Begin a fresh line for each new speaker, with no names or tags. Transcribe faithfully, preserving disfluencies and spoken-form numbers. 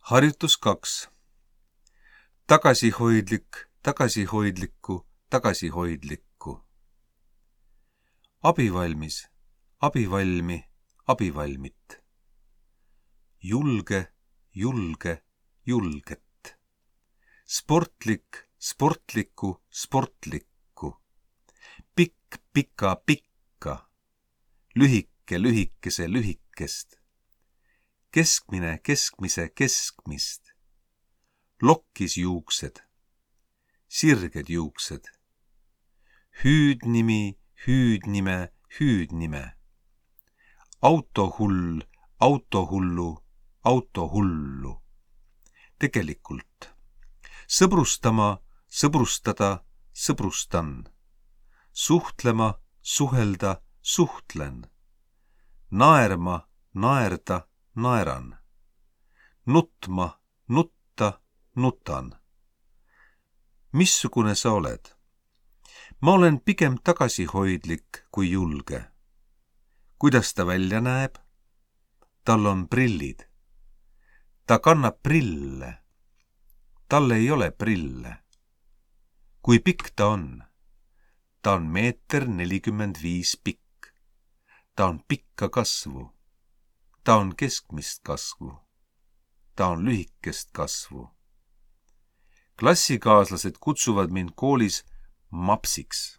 Harjutus kaks. Tagasihoidlik, tagasihoidlikku, tagasihoidlikku. Abivalmis, abivalmi, abivalmit. Julge, julge, julget. Sportlik, sportlikku, sportlikku. Pikk, pika, pikka. Lühike, lühikese, lühikest. Keskmine, keskmise, keskmist. Lokkis juuksed. Sirged juuksed. Hüüdnimi, hüüdnime, hüüdnime. Autohull, autohullu, autohullu. Tegelikult. Sõbrustama, sõbrustada, sõbrustan. Suhtlema, suhelda, suhtlen. Naerma, naerda, naeran. Nutma, nutta, nutan. Missugune sa oled? Ma olen pigem tagasihoidlik kui julge. Kuidas ta välja näeb? Tal on prillid. Ta kannab prille. Tal ei ole prille. Kui pikk ta on? Ta on meeter nelikümmend viis pikk. Ta on pikka kasvu. Ta on keskmist kasvu. Ta on lühikest kasvu. Klassikaaslased kutsuvad mind koolis mapsiks.